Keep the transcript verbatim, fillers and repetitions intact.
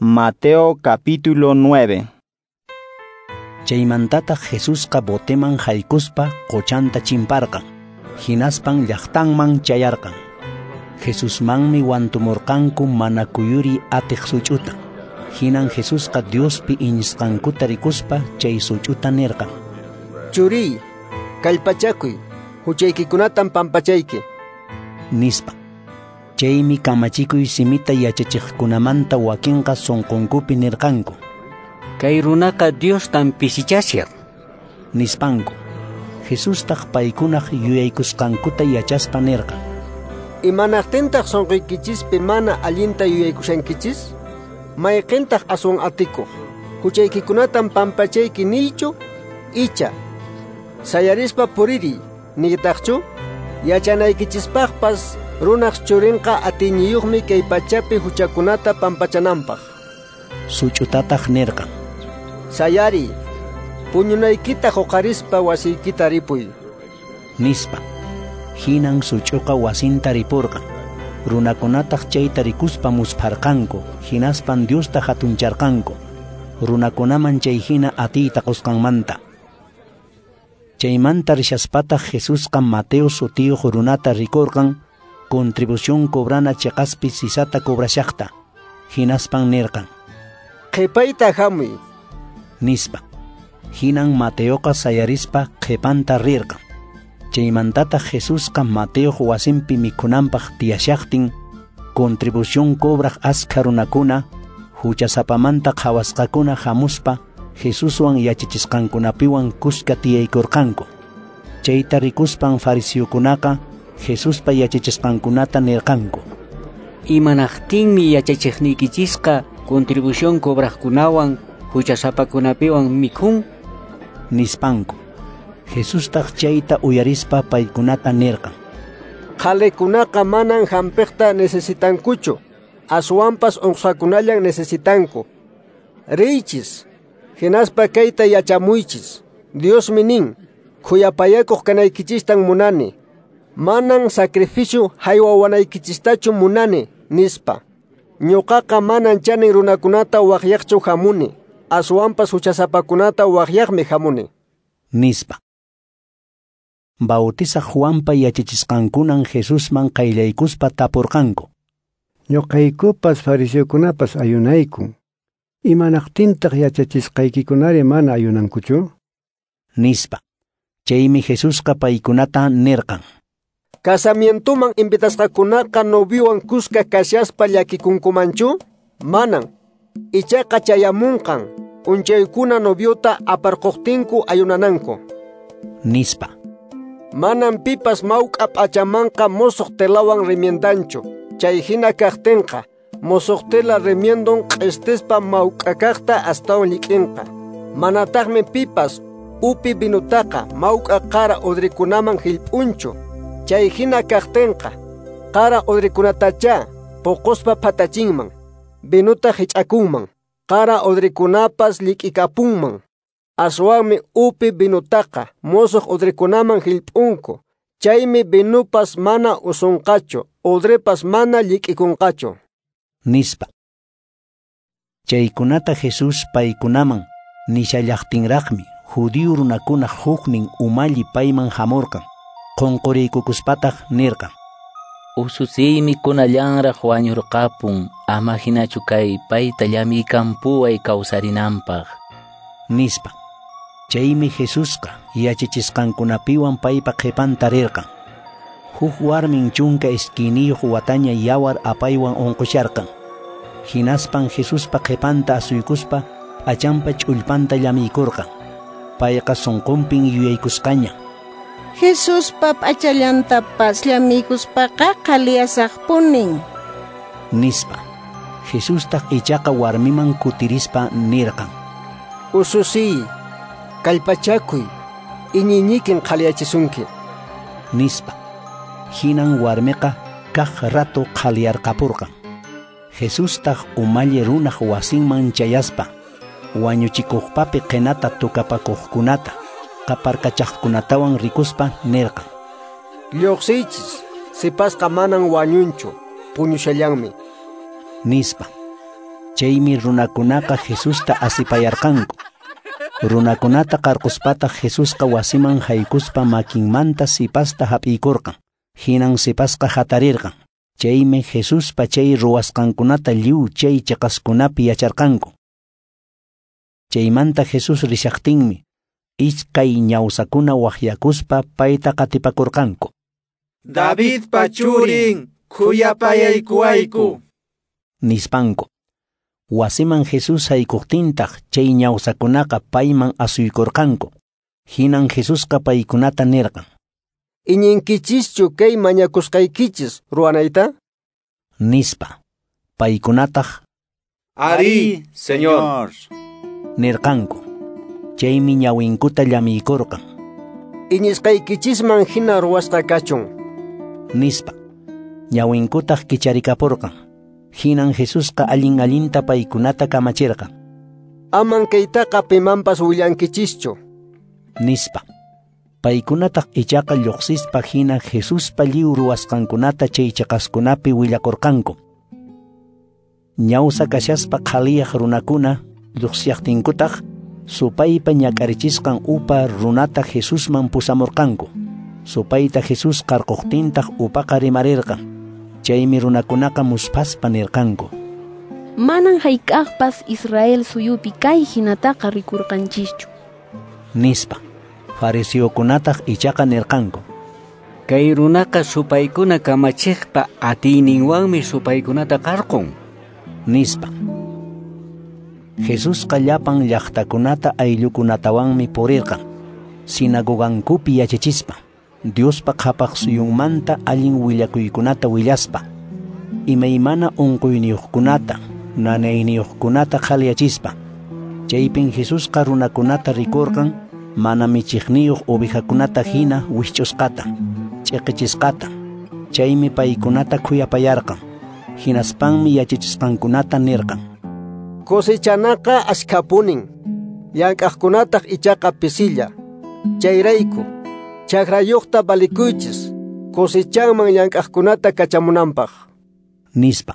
Mateo capítulo nueve. Chaymantataq Jesusqa boteman haykuspa qochanta chimparqan, hinaspan llaqtanman chayarqan. Jesusmanmi wantumurqanku mana kuyuri atiq such'uta. Hinan Jesusqa Diospi iñisqankuta rikuspa chay such'uta nirqan: Churiy, kallpachakuy, huchaykikunatan pampachayki, nispa. Chaymi kamachikuy simita yachachiqkunamanta wakinqa sunqunkupi nirqanku: Kay runaqa Diostan pisichashan, nispanku. Jesustaq paykunaq yuyaykusqankuta yachaspa nirqan: Imanaqtintaq sunquykichispi mana allinta yuyaykushankichis? Mayqintaq aswan atikuq, huchaykikunatan pampachayki niychu, icha sayarispa puririy niytaqchu? Yachanaykichispaqpas runaq churinqa atiyniyuqmi kay pachapi huchakunata pampachananpaq. Such'utataq nirqan: Sayariy, puñunaykita huqarispa wasiykita ripuy, nispa. Hinan such'uqa wasinta ripurqan. Runakunataq chayta rikuspa muspharqanku, hinaspan Diosta hatuncharqanku, runakunaman chay hina atiyta qusqanmanta. Chaymanta rishaspataq Jesusqa Mateo sutiyuq runata rikurqan, contribución cobrana cheqaspi sisata cobrashaqta. Hinaspan nirqan: Qhipayta hamuy, nispa. Hinan Mateoqa sayarispa qhipanta rirqan. Chaymantataq Jesusqa Mateoq wasinpi mikhunanpaq tiyashaqtin, contribución cobraq askha runakuna, huchasapamanta qhawasqakuna hamuspa Jesuswan yachachisqankunapiwan kuska tiyaykurqanku. Chayta rikuspan fariseokunaqa Jesuspa yachachisqankunata nirqanku: Imanaqtinmi yachachiqniykichisqa contribución cobraqkunawan huchasapakunapiwan mikhun, nispanku. Jesustaq chayta uyarispa paykunata nirqan: Qhalikunaqa manan hampiqta necesitankuchu, aswanpas unqusqakunallan necesitanku. Riychis, hinaspa kayta yachamuychis. Diosmi nin: Khuyapayakuq kanaykichistan munani, manan sacrificio haywawanaykichistachu munani, nispa. Ñuqaqa manan chanin runakunata waqyaqchu hamuni, aswanpas huchasapakunata waqyaqmi hamuni, nispa. Bautizaq Juanpa yachachisqankunan Jesusman qayllaykuspa tapurqanku: Ñuqaykupas fariseokunapas ayunaykun. Imanaqtintaq yachachisqaykikunari mana ayunankuchu? Nispa. Chaymi Jesusqa paykunata nirqan: Casamientoman invitasqakunaqa noviowan kuska kashaspa llakikunkumanchu? Manan. Ichaqa chayamunqan p'unchaykuna noviota aparquqtinku ayunananku, nispa. Manan pipas mawk'a p'achamanqa musuq telawan remiendanchu. Chay hina kaqtinqa musuq tela remiendon q'istispa mawk'a kaqta astawan llik'inqa. Manataqmi pipas upi vinutaqa mawk'a qara udrikunaman hillp'unchu. Chay hina kaqtinqa qara udrikunatachá puquspa phatachinman, vinuta hich'akunman, qara udrikunapas llik'ikapunman. Aswanmi upi vinutaqa musuq udrikunaman hillp'unku. Chaymi vinupas mana usunqachu, udripas mana llik'ikunqachu, nispa. Chaykunata Jesús paykunaman nishallaqtinraqmi judío runakuna huknin umalli payman hamurqan. Qunquriykukuspataq nirqan: Ususiymi kunallanraq wañurqapun, ama hinachu kay payta llamiykampuway kawsarinanpaq, nispa. Chaymi Jesusqa yachachisqankunapiwan paypa qhipanta rirqan. Huk warmin chunka iskayniyuq wataña yawar apaywan unqusharqan. Hinaspan Jesuspa qhipanta asuykuspa p'achanpa ch'ullpanta llamiykurqan. Payqa sunqunpin yuyaykusqaña: Jesuspa p'achallantapas llamiykuspaqa qhaliyasaqpunin, nispa. Jesustaq ichaqa warmiman kutirispa nirqan: Ususiy, kallpachakuy, iñiynikin qhaliyachisunki, nispa. Hinan warmiqa kaq rato qhaliyarqapurqan. Jesustaq umalli runaq wasinman chayaspa wañuchikuqpapi qinata tukapakuqkunata qaparkachaqkunatawan rikuspa nirqan: Lluqsiychis, sipasqa manan wañunchu, puñushallanmi, nispa. Chaymi runakunaqa Jesusta asipayarqanku. Runakunata qarquspataq Jesusqa wasiman haykuspa makinmanta sipasta hap'iykurqan. Hinan sipasqa hatarirqan. Chaymi Jesuspa chay ruwasqankunata lliw chay chiqaskunapi yacharqanku. Chaymanta Jesús rishaqtinmi iskay ñawsakuna waqyakuspa payta qatipakurqanku. Davidpa churin, khuyapayaykuwayku, nispanku. Wasiman Jesús haykuqtintaq chay ñawsakunaqa payman asuykurqanku. Hinan Jesusqa paykunata nirqan: Iñinkichischu kay mañakusqaykichis ruwanayta? Nispa. Paykunataq: Arí, Señor, nirqanku. Chaymi ñawinkuta llamiykurqan. Iñisqaykichisman hina ruwasqa kachun, nispa. Ñawinkutaq kicharikapurqan. Hinan Jesusqa allin allinta paykunata kamachirqan. Aman kaytaqa pimanpas willankichischu, nispa. Paykunataq ichaqa lluqsispa hina Jesuspa lliw ruwasqankunata chay chiqaskunapi willakurqanku. Ñawsa kashaspa qhaliyaq runakuna lluqsiyaqtinkutaq supaypa ñak'arichisqan upa runata Jesusman pusamurqanku. Supayta Jesús qarquqtintaq upaqa rimarirqan. Chaymi runakunaqa musphaspa nirqanku: Manan hayk'aqpas Israel suyupi kay hinataqa rikurqanchischu, nispa. Fariseokunataq ichaqa nirqanku: Kay runaqa supaykuna kamachiqpa atiyninwanmi supaykunata qarqun, nispa. Jesusqa llapan llaqtakunata ayllukunatawanmi purirqan, sinagogankupi yachachispa, Diospa qhapaq suyunmanta allin willakuykunata willaspa, imaymana unquyniyuqkunata, nanayniyuqkunata qhaliyachispa. Chaypin Jesusqa runakunata rikurqan mana michiqniyuq ovejakunata hina wikch'usqata, ch'iqichisqata. Chaymi paykunata khuyapayarqan. Hinaspanmi yachachisqankunata nirqan: Cosechanaqa ashkhapunin, llank'aqkunataq ichaqa pisilla. Chayrayku, chakrayuqta valikuychis, cosechanman llank'aqkunata kachamunanpaq, nispa.